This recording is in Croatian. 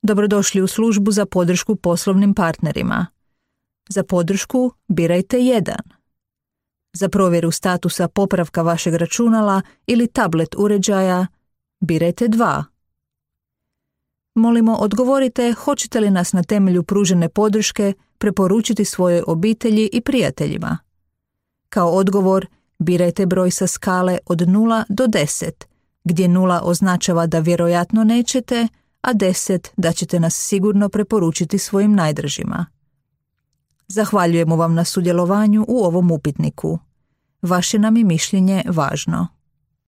Dobrodošli u službu za podršku poslovnim partnerima. Za podršku birajte 1. Za provjeru statusa popravka vašeg računala ili tablet uređaja birajte 2. Molimo, odgovorite hoćete li nas na temelju pružene podrške preporučiti svojoj obitelji i prijateljima. Kao odgovor birajte broj sa skale od 0 do 10, gdje 0 označava da vjerojatno nećete, a 10 da ćete nas sigurno preporučiti svojim najdražima. Zahvaljujemo vam na sudjelovanju u ovom upitniku. Vaše nam je mišljenje važno.